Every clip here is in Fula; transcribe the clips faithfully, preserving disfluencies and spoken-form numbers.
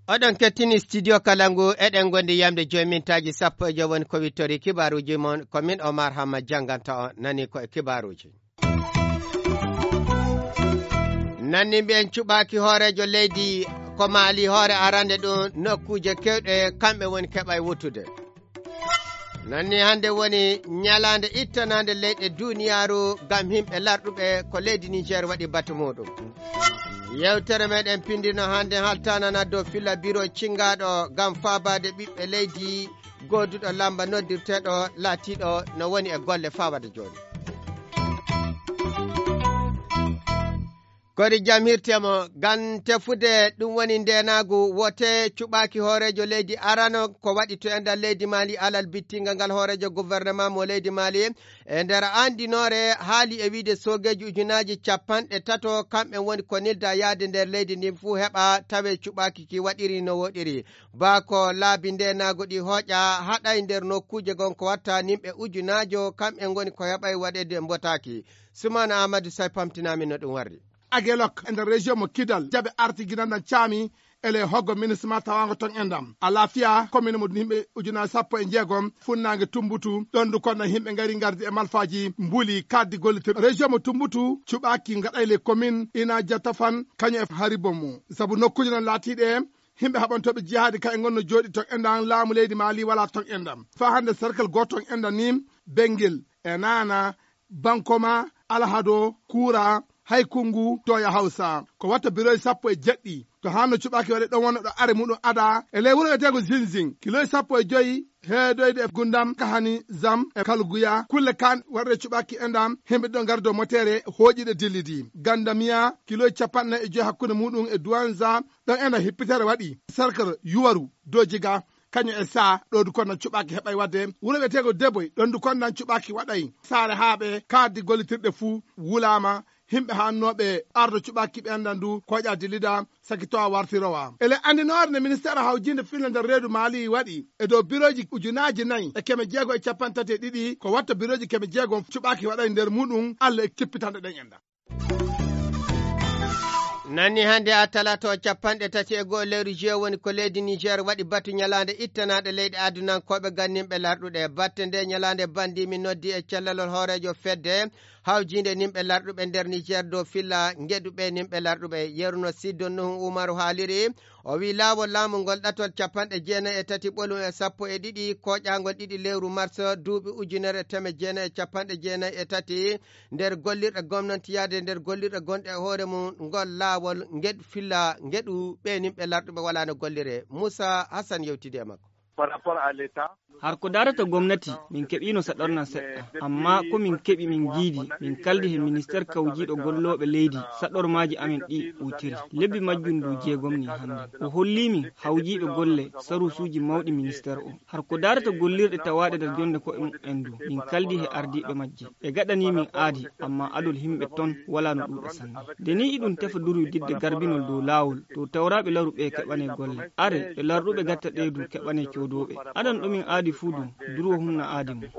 Oɗon kettini studio Kalangu, eɗen ngondi yamde joyi mintaaji sappo e joy woni ko wittori kibaaruuji mon. Ko min Omar Hamma jannganta on, nani ko e kibaaruuji. Nanni mbiyen cuɓaaki hooreejo leydi ko Maali hoore arande ɗum nokkuuje kewɗe kamɓe woni keɓa e wuttude. Nanni hannde woni ñalaande ittanaande leyɗe duniyaaru ngam yimɓe larɗuɓe ko leydi Niger waɗi batu muɗum. Yewtere meɗen pindino hannde haltanana dow filla biro cingaɗo ngam faabaade ɓiɓɓe leydi gooduɗo lamba noddirteɗo laatiɗo no woni e golle fawade jooni. Kori jam hirtemo, ngam tefude ɗum woni ndenaagu wote cuɓaaki hooreejo leydi arano ko waɗi to enɗan leydi Maali alal bittinga ngal hooreejo gouvernement mo leydi Maali. E nder andinoore haali e wiide soogeeji ujunaaji capanɗe tato kamɓe woni ko nilda yaade nder leydi ndi fuu heɓa tawe cuɓaaki ki waɗiri no woɗiri. Baa ko laabi ndenaagu ɗi hooƴa haɗay nder nokkuuje gon ko watta nimɓe ujunaajo kamɓe ngoni ko heɓay waɗede mbotaaki. Sumana Amadou Say pamtinami no ɗum warri. Agelok e nder région mo Kidal jaɓe arti ginandan caami ele hoggo ministre ma tawango ton endam alafiya commune mo yimɓe ujunaaji sappo e jeegom funnaange Tumbutu. Ɗon du konna yimɓe ngari ngardi e malfaaji mbuli kaddi gollitirɗi région mo Tumbutu cuɓaaki ngaɗay les communes ina jatafan kañum e haribo mum sabu nokkuuje non laatiiɗe yimɓe haɓantooɓe jihaadi kay ngonno jooɗi ton endam laamu leydi Maali wala ton endam. Faa hannde cercle gooto ton endam ni Bengel e Naana Bankoma, Alhado, Kuura, Haykungu, Toya Hawsa. Ko watta biroy sappo e jeɗɗi. To hanno cuɓaaki waɗe ɗon wonno ɗo are muɗum ada e ley wuro wiyeteego Zinzin. Kiloy sappo e joyi heedoyde e gundam kahani zam e kalguya kulle kan waɗre cuɓaaki endam himɓe ɗon gardo motere hooƴiɗe dillidi gandamiya kiloy capanɗe nayi e joyi hakkunde muɗum e duwanza. Ɗon enda hippitere waɗi sarkar yuwaru dojiga kañum e sa ɗo du konnan cuɓaaki heɓay waɗde wuro wiyeteego deboy ɗon du konnan cuɓaaki waɗay saare haaɓe kaaddi gollitirɗe fuu wulaama. Himɓe haannooɓe ardo cuɓaaki ɓe anndan du koƴa dillida saki towa wartirowa ele anndinoore nde ministeer hawjinde filnde nder reedu maali waɗi e dow birooji ujunaaji nayi e keme jeego e capanɗe tati e ɗiɗi ko watta birooji keme jeego cuɓaaki waɗay nder muɗum allah e kippitanɗe ɗen enɗan. Nanni hannde a talato capanɗe tati e go'o lewru juin woni ko leydi Niger waɗi batu ñalaande ittanaande leyɗe adunankooɓe ganninɓe larɗuɗe. Batte nde ñalaande bandi mi noddi e callalol hooreejo fedde hawjiinde nimɓe larɗuɓe nder Niger dow filla ngeɗuɓe nimɓe larɗuɓe. Yeruno Siddo Nuhu Umaru haaliri, o wi laawol laamu ngol ɗatol capanɗe jeenayi e tati ɓolum e sappo e ɗiɗi koƴaangol ɗiɗi lewru mars duuɓi ujunere teme jeenayi e capanɗe jeenayi e tati nder gollirɗe gomnantiyaade nder gollirɗe gonɗe e hoore mum ngol laawol ngeɗu filla ngeɗu ɓeenimɓe larɗuɓe walaano gollire. Moussa Hassan yewtidi e makko. Par rapport à l'état. Har ko darata gomnati min keɓino saɗornan seɗɗa amma ko min keɓi min jiidi min kaldi he ministeer kawjiiɗo gollooɓe leydi saɗormaaji amen ɗi ɓuutiri lebbi majjum ndu jeegom ni hannde o holli min hawjiiɓe golle sarusuuji mawɗi ministeer o. Har ko darata gollirɗe tawaaɗe nder jonnde ko'e mum en du min kaldi he ardiiɓe majje ɓe gaɗani min aadi amma adol himɓe ton wala no ɗuuɗa sanne. Nde ni iɗum tefa durwididde garbinol dow laawol dow tawraaɓe laru ɓe keɓane golle are ɓe larɗuɓe gatta ɗe du keɓane coodooɓe aɗan ɗo min aadi fuu du durwo hunna aadi mum.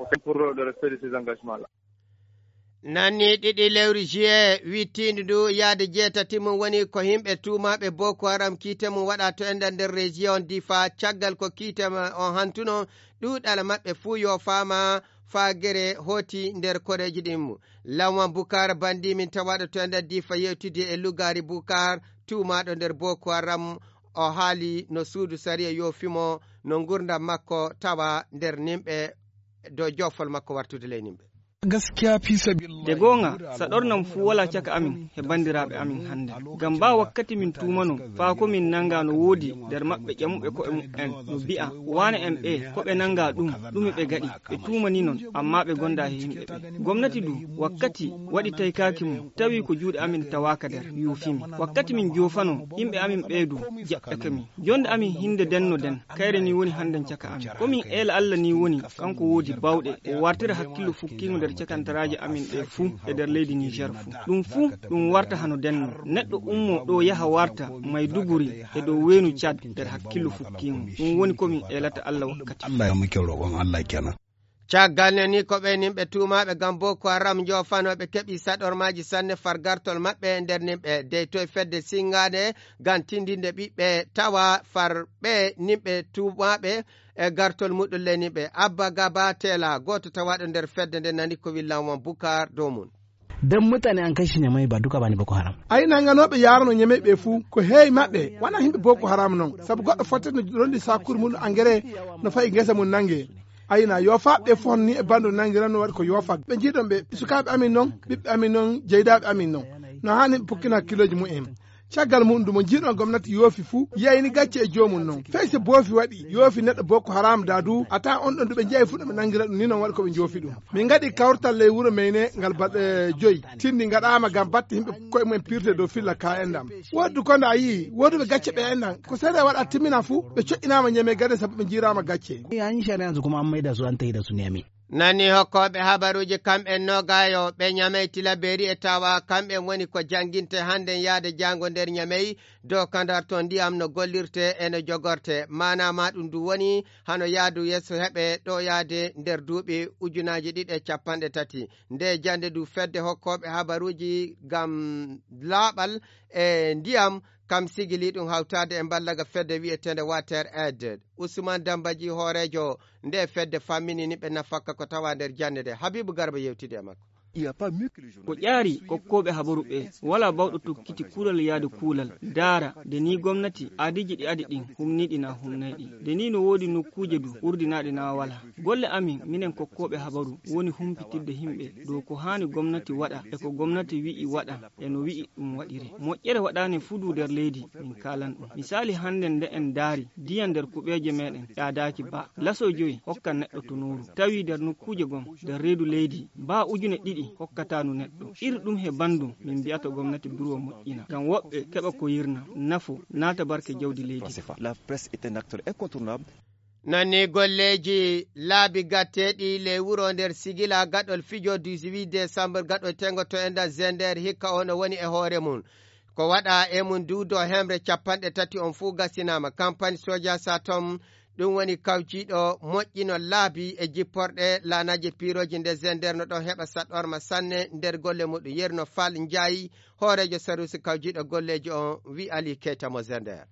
Nanni ɗiɗi lewru juillet wittiindu ndu yahde jeetati mum woni ko yimɓe tuumaaɓe Boko Haram kiite mum waɗa to enɗan nder région Difa caggal ko kiite on hantuno ɗuuɗal maɓɓe fuu yoofaama faa gere hooti nder koreeji ɗin mum. Lawan Bukar banndi min tawaaɗo to enɗan Difa yewtidi e Lugaari Bukar tuumaaɗo nder Boko Haram o haali no suudu sariya yoofi mo no ngurndam makko tawa nder nimɓe dow joofol makko wartude ley nimɓe. Gaskiya fi sabilillahi. De goonga saɗornam fuu walaa caka amin he banndiraaɓe amin hannde ngam baa wakkati min tuumano faa ko min nannga no woodi nder maɓɓe ƴamuɓe ko'e mum'en no bi'a waane en ɓe ko ɓe nannga ɗum ɗume ɓe gaɗi ɓe tuumani non amma ɓe gonda he yimɓe ɓe. Gomnati du wakkati waɗi taykaaki mum tawi ko juuɗe amin tawaaka nder yuufimi wakkati min joofano yimɓe amin ɓee du jaɓɓeke min. Jonde amin hinde denno den kayre ni woni hannden caka amin ko min eela Allah ni woni kanko woodi bawɗe o wartira hakkillo fukkiingo nder Cakantaraaji amin ɗe fuu e nder leydi Niger fuu. Ɗum fuu ɗum warta hano denno. Neɗɗo ummo ɗo yaha warta Maiduguri e dow weenu Cad nder hakkillo fukkiimo. Ɗum woni ko mi eelata Allah wakkati. Allah ya muke roƙon Allah kenan. Caggal ne ni ko ɓe nimɓe tuumaaɓe ngam Boko Haram njoofanooɓe keɓi saɗormaaji sanne far gartol maɓɓe nder nimɓe dey toye fedde sinngaande ngam tindinde ɓiɓɓe tawa far ɓe nimɓe tuumaaɓe e gartol muɗum ley nimɓe. Abba Gaba Tela, gooto tawaaɗo nder fedde nde nani ko willan won Bukar dow mum. Dan mutane an kashi ne mai ba duka bane Boko Haram. Ay nanganooɓe yaarano ñamey ɓe fuu ko heewi maɓɓe wona himɓe Boko Haram non sabu goɗɗo fottete no ronndi sakuuri muɗum engrais no fayi ngesa mum nannge. Ayna yoofaaɓe ɓe fof ni e banndo nanngiran no waɗi ko yoofaa ɓe njiiɗon ɓe sukaaɓe amin noon ɓiɓɓe amin noon jeydaaɓe amin noon no haani ɓe pukkina hakkillooji mumen. Caggal muɗum dumo njiiɗon gomnati yoofi fuu yeyni gacce e joomum noon fey so boofi waɗi yoofi neɗɗo boko haram da du a taa on ɗon duɓe njeyi fuu ɗo ɓe nanngira ɗum ni noon waɗi ko ɓe njoofi ɗum. Min ngaɗi kawtal ley wuro meyne ngal baɗe joyi tinndi ngaɗaama ngam batte yimɓe koye mumen pirte dow filla ka enɗam. Wooddu konde a yii wooduɓe gacce ɓe enɗam ko seeɗa e waɗa timmina fuu ɓe coƴƴinaama ñeme gade sabu ɓe njiiraama gacce. An shari'ansu kuma an maida su an taida su nemi. Nani hokkooɓe habaruuji kamɓen nogaayo ɓe ñamey tilaberi e tawa kamɓen woni ko jannginte hannden yaade jaango nder ñamey dow kandar to ndiyam no gollirte e no jogorte maanaama ɗum ndu woni hano yaadu yeeso heɓe ɗo yaade nder duuɓi ujunaaji ɗiɗi e capanɗe tati. Nde jannde ndu fedde hokkooɓe habaruuji ngam laaɓal e ndiyam kam sigili ɗum hawtaade e mballaga fedde wiyeteende water aid. Usman Dambaji hooreejo nde fedde fammini ni ɓe nafakka ko tawa nder jannde nde. Habibu Garba yewtidi e makko. Ko ƴaari kokkooɓe habaru ɓe wala bawɗo tokkiti kuulal yaade kuulal daara de ni gomnati aadiji ɗi adi ɗin humniɗi na humnayɗi de ni no woodi nokkuuje du urdinaaɗe na wala. Golle amin minen kokkooɓe habaru woni humpitirde himɓe dow ko haani gomnati waɗa e ko gomnati wi'i waɗa e no wi'i ɗum waɗire. Moƴƴere waɗaane fuu du nder leydi min kaalan ɗum. Misaali hannden nde en daari diya nder kuɓeeje meɗen ƴaadaaki ba laso joyi hokka neɗɗo to nooru tawi nder nokkuuje gom nder reedu leydi ba ujune ɗiɗi hokkataanu neɗɗo. Iri ɗum he banndum min mbi'ata gomnati buruwa moƴƴina ngam woɓɓe keɓa ko yirna nafo naata barke jawdi leydi. La presse est un acteur incontournable. Nani golleeji laabi gatteeɗi ley wuro nder sigila gaɗol fijo dix-huit décembre gaɗo tengo to enɗan zender hikka ono woni e hoore mum. Ko waɗa e mum duudo hemre capanɗe tati on fuu gasinaama kampani soja satom. Ɗum woni kawjiiɗo moƴƴino laabi e jipporɗe laanaaji piirooji nde zender no ɗon heɓa saɗorma sanne nder golle muɗum yerno fal njaayi hooreejo sarusi kawjiiɗo golleeji on wi ali keyta mo zender.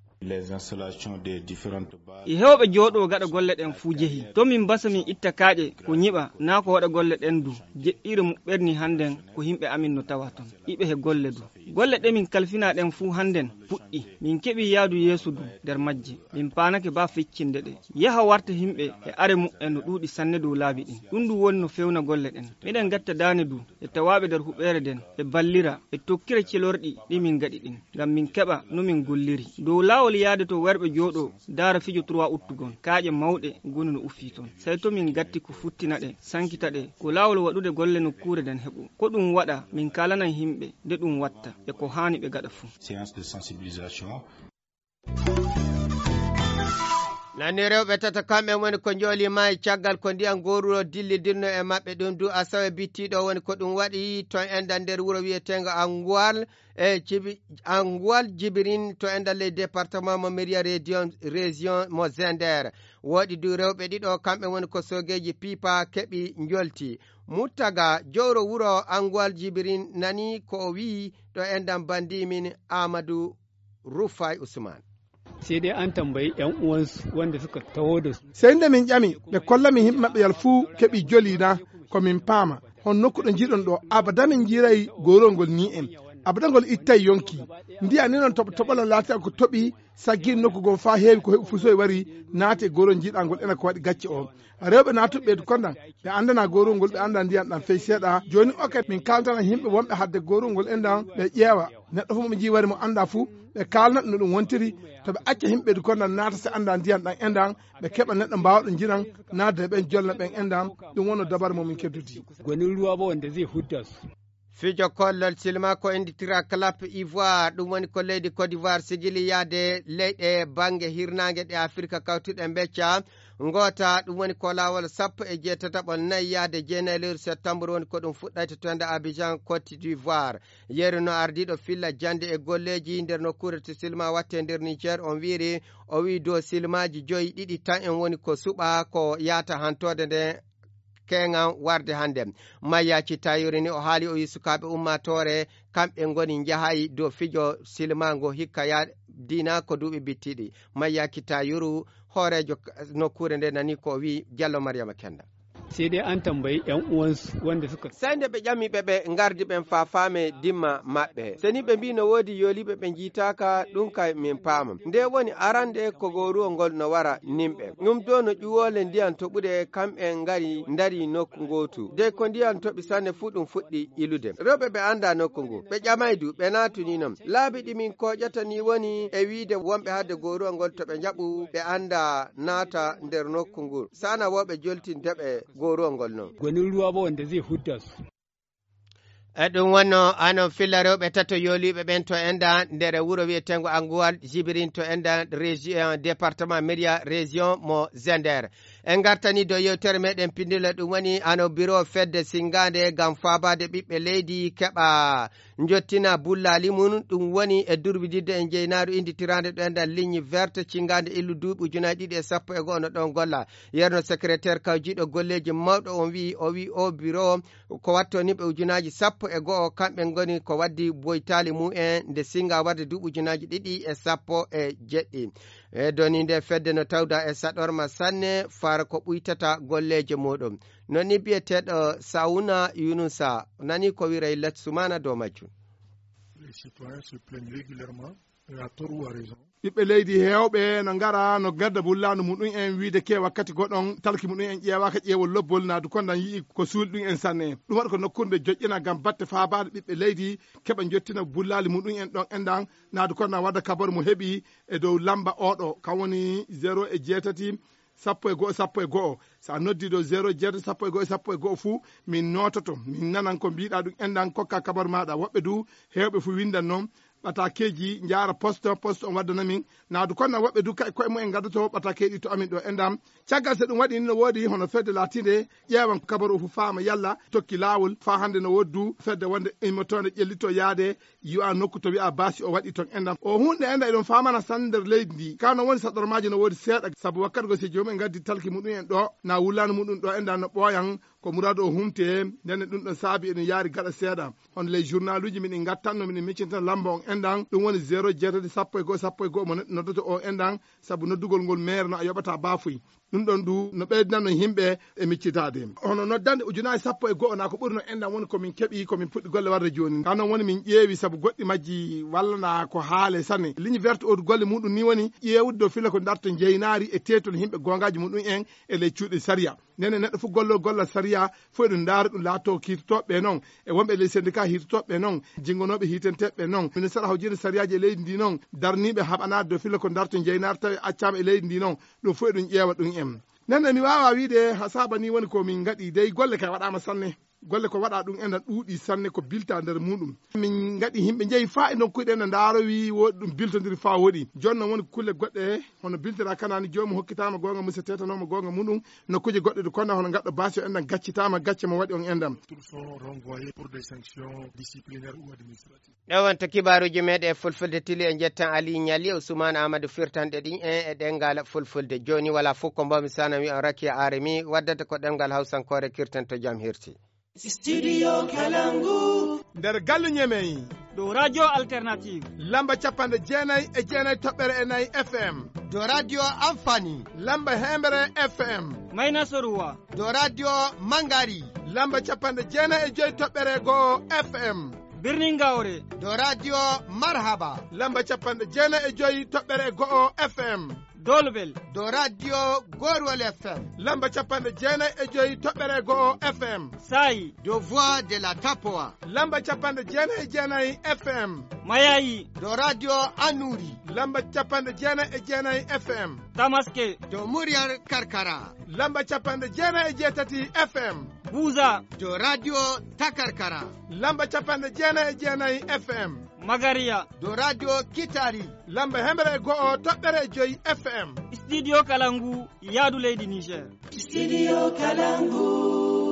E heewɓe jooɗoo gaɗa golle ɗen fuu jehi to min mbasa min itta kaaƴe ko ñiɓa naa ko waɗa golle ɗen du. Jeɗɗiire muɓɓerni hannden ko yimɓe amin no tawa ton iɓe he golle du. Golle ɗe min kalfinaa ɗen fuu hannden puɗɗi. Min keɓii yaadu yeeso du nder majje. Min paanake baa feccinde ɗe yaha warta yimɓe e are muɓɓen no ɗuuɗi sanne dow laabi ɗin. Ɗum du woni no fewna golle ɗen. Miɗen gatta daane du e tawaaɓe nder huɓeere nden ɓe ballira ɓe tokkira celorɗi ɗi min ngaɗi ɗin ngam min keɓa no min golliri dow laawol yaade to werɓe jooɗoo daara fijo trois uttugon kaaƴe mawɗe goni no uffii ton. Sey to min gatti ko futtina ɗe sankita ɗe ko laawol waɗude golle nokkuure nden heɓu ko ɗum waɗa min kaalanan yimɓe nde ɗum watta e ko haani ɓe gaɗa fuu. Nani rewɓe tata kamɓe woni ko njooli maayi caggal ko ndiyan gooruɗo dillidirno e maɓɓe ɗum du asawe bittiiɗo woni ko ɗum waɗi ton enɗan nder wuro wiyeteengo anguwal e jibi anguwal jibirin to enɗan ley département mo miriya région mo zender. Woɗi du rewɓe ɗiɗo kamɓe woni ko soogeeji piipa keɓi njolti. Muttaga jowro wuro anguwal jibirin nani ko o wi'i ɗo enɗan bandi min amadou ruffay usman. Sai dai an tambayi yan uwansu wanda suka taho da su. Sey nde min ƴami ɓe kolla min yimɓe maɓɓe yal fuu keɓi joli na ko min paama hon nokku ɗo njiiɗon ɗo abada min njiiray gorol ngol ni en. Abada ngol ittay yonki ndiya ni noon toɓo toɓolo laati ko toɓi saggi nokku goo faa heewi ko heɓi fusoy wari naati e gorol njiiɗa ngol ena ko waɗi gacce o. Rewɓe naatuɓe ɓeydu kondan ɓe anndana gorol ngol ɓe annda ndiyan ɗan fey seeɗa. Jooni oke min kaaltana yimɓe wonɓe hadde gorol ngol endan ɓe ƴeewa neɗɗo fof mo ɓe njii wari mo annda fuu ɓe kaalna ɗum no ɗum wontiri. To ɓe acca yimɓe ɓeydu kondan naata si annda ndiyan ɗan endan ɓe keɓa neɗɗo mbaawaɗo njiran naatde e ɓen jolna ɓen endan. Ɗum wonno dabar mo min keddudi. Gwanin ruwa ba wanda zai hudda su. Fijo kollol silma ko innditira clap ivoire ɗum woni ko leydi côte d'ivoire sigili yaade leyɗe bannge hirnaange ɗe afirka kawtuɗe mbecca. Ngoota, ɗum woni ko laawol sappo e jeetataɓol nayi yahde jeenayi lewru septembre woni ko ɗum fuɗɗayta to enda Abidjan, Côte d'Ivoire. Yeru no ardiiɗo filla jannde e golleeji nder nokkuure to silma watte nder Niger, on wiiri, o wii dow silmaaji joyi, ɗiɗi tan en woni ko suɓa ko yaata hantoode nde keŋan warde hannde. Mayya Cittayuru ni o haali, o wii sukaaɓe ummaatoore kamɓe ngoni njahay dow fijo silma ngo hikka ya diina ko duuɓi bittiɗi. Mayya Cittayuru, hooreejo k-, nokkuure nde nani ko o wii. Jallo Maryama Kenda. Sai dai an tambayi yan uwansu wanda suka Sai nde ɓe ƴami ɓe ɓe ngardi ɓen faa faame dimma maɓɓe. Se ni ɓe mbii no woodi yooliiɓe ɓe njiitaaka, ɗum kay min paama. Nde woni arande ko gooruwol ngol no wara nimɓe. Ɗum ɗoo no ƴuwoole ndiyan toɓude kamɓe ngari ndari nokku ngootu. De ko ndiyan toɓi sanne fuu ɗum fuɗɗi ilude. Rewɓe ɓe anndaa nokku ngu. Ɓe ƴamay du, ɓe naatuni non. Laabi ɗi min kooƴata ni woni e wiide wonɓe hadde gooruwol ngol to ɓe njaɓu ɓe anndaa naata nder nokku ngu. Sana woo ɓe joltin deɓe gooruwol ngol non. Gwanin ruwa ba wanda zai hudda su. E ɗum wonno hano filla rewɓe tato yooliiɓe ɓen to enda nder wuro wi'eteengo Anguwal Jibirin to enda région, département Média, région mo Zender. En ngartani dow yewtere meɗen pindile, ɗum woni hano biro fedde singaande ngam faabaade ɓiɓɓe leydi keɓa njottina bullaali mum, ɗum woni e durbididde e njeynaaru inditiraande ɗo enda ligne verte cingaande illu duuɓi ujunaaji ɗiɗi e sappo e go'o no ɗon golla. Yerno secrétaire kawjiiɗo golleeji mawɗo on wi'i, o wi'i o biro ko wattoo nimɓe ujunaaji sappo e go'o, kamɓe ngoni ko waddi boytaali mumen nde singa warde duuɓi ujunaaji ɗiɗi e sappo e jeɗɗi. E doni nde fedde no tawda e saɗorma sanne fara ko ɓuytata golleeje muɗum. Non ni biyeteeɗo Sawuna Yunusa nani ko wiray Lat Sumana dow majjum. Les citoyens se plaignent régulièrement, et à tort ou à raison. Ɓiɓɓe leydi heewɓe no ngara, no ngadda bullaandu muɗum en wiide ke wakkati goɗon talki muɗum en ƴeewaaka ƴeewol lobbol, naadu kondan yi'i ko suuli ɗum en sanne. Ɗum waɗi ko nokkuure nde joƴƴina ngam batte faabaade ɓiɓɓe leydi keɓa njottina bullaali muɗum en ɗon endan, naadu kondan wadda kabaru mo heɓi e dow lamba oɗo, kan woni zéro e jeetati, sappo e go'o, sappo e go'o. So a noddi ɗo zéro jeetati, sappo e go'o, sappo e go'o fuu, min noototo, min nanan ko mbiiɗaa ɗum endan, kokka kabaru maaɗa. Woɓɓe du, heewɓe fuu windan non, ɓataakeeji njaara poste, poste on waddana min. Naadu kondan woɓɓe du, kay koye mumen ngaddoto ɓataakeeji to amin ɗo endan. Caggal so ɗum waɗi, no woodi hono fedde laatiinde ƴeewan kabaru o fuu faama yalla tokki laawol, faa hannde no woodi du fedde wonde immotoonde ƴellito yaade yi'a nokku to wi'a baasi o waɗi ton endan. O hunde endan eɗon faamana sanne nder leydi ndi. Ka no woni saɗormaaji no woodi seeɗa, sabu wakkati go si joomum en ngaddi talki muɗum en ɗo, na wullaani muɗum ɗo endan no ɓooyan, ko muraadu o humte, nden ɗum ɗon saabi eɗum yaari gaɗa seeɗa. Hono ley journaluuji miɗen ngattanno, miɗen miccintana lamba on endan, ɗum woni zéro jeetati, sappo e go'o, sappo e go'o mo neɗɗo noddoto o endan, sabu noddugol ngol meere no a yoɓata baafuy. Ɗum ɗon du no ɓeydinano yimɓe e miccitaade. Hono noddande ujunaaji sappo e go'o na ko ɓuri no enɗan woni ko min keɓi, ko min puɗɗi golle warde jooni. Ka non woni min ƴeewi sabu goɗɗi majji walla na ko haale sanne. Ligne verte o du golle muɗum ni woni ƴeewude dow filla ko darto njeynaari e teetol yimɓe goongaaji muɗum en e ley cuuɗi sariya. Nden neɗɗo fof golloo gollal sariya, fof eɗum ndaara ɗum laatoo kiitotooɓe ɓe noon, e wonɓe e ley syndicat hiitotooɓe ɓe noon, jinngonooɓe hiitenteeɓe ɓe noon, ministère hawjinde sariyaaji e leydi ndi noon, darniiɓe haɓanaade dow filla ko darto njeynaari tawi accaama e leydi ndi noon, ɗum fof eɗum ƴeewa ɗum en. Nden mi waawaa wiide ha saaba ni woni ko min ngaɗi, dey golle kay waɗaama sanne. Golle ko waɗaa ɗum ena ɗuuɗi sanne ko bilta nder muɗum. Min ngaɗi yimɓe njehi faa e nokkuuji ɗe no ndaarowi woɗi ɗum biltondiri faa woɗi. Jooni noon woni kulle goɗɗe hono biltira kanaani joomum hokkitaama goonga mum so teetanooma goonga muɗum. Nokkuuje goɗɗe ɗe konna hono ngaɗɗo baasi o enɗan gaccitaama gacce mo waɗi on enɗan. Tous sont renvoyés pour des sanctions disciplinaires ou administratives. Ɗo wonto kibaaruuji meeɗen e fulfulde tili, en njettan Ali Ñali, Ousmane Amadou firtanɗe ɗin en e ɗenngal fulfulde. Jooni wala fof ko mbawmi sana wi on Rakia Aremi waddata ko ɗemngal hawsankoore kirten to jam hirti. Studio Kalangu. Nder galle Ñemey. Ɗo Radio Alternative. Lamba capanɗe jeenayi e jeenayi toɓɓere e nayi F M. Ɗo Radio Amfani. Lamba heembere F M. Mayna Soruwa. Ɗo Radio Mangari. Lamba capanɗe jeenayi e joyi toɓɓere go'o F M. Birnin Gawre. Ɗo Radio Marhaba. Lamba capanɗe jeenayi e joyi toɓɓere go'o F M. Dolbel. Ɗo Radio Gorwol F M. Lamba capanɗe jeenayi e joyi toɓɓere go'o F M. Saayi. Ɗo Voix de la Tapoa. Lamba capanɗe jeenayi e jeenayi F M. Mayayi. Ɗo Radio Anuri. Lamba capanɗe jeenayi e jeenayi F M. Tamaske. Ɗo Muryar Karkara. Lamba capanɗe jeenayi e jeetati F M. Buza. Ɗo Radio Takarkara. Lamba capanɗe jeenayi e jeenayi F M. Magaria. Dow radio Kitari. Lamba hemre go'o toɓɓere joyi F M. Studio Kalangu, yaadu leydi Niger. Studio Kalangu.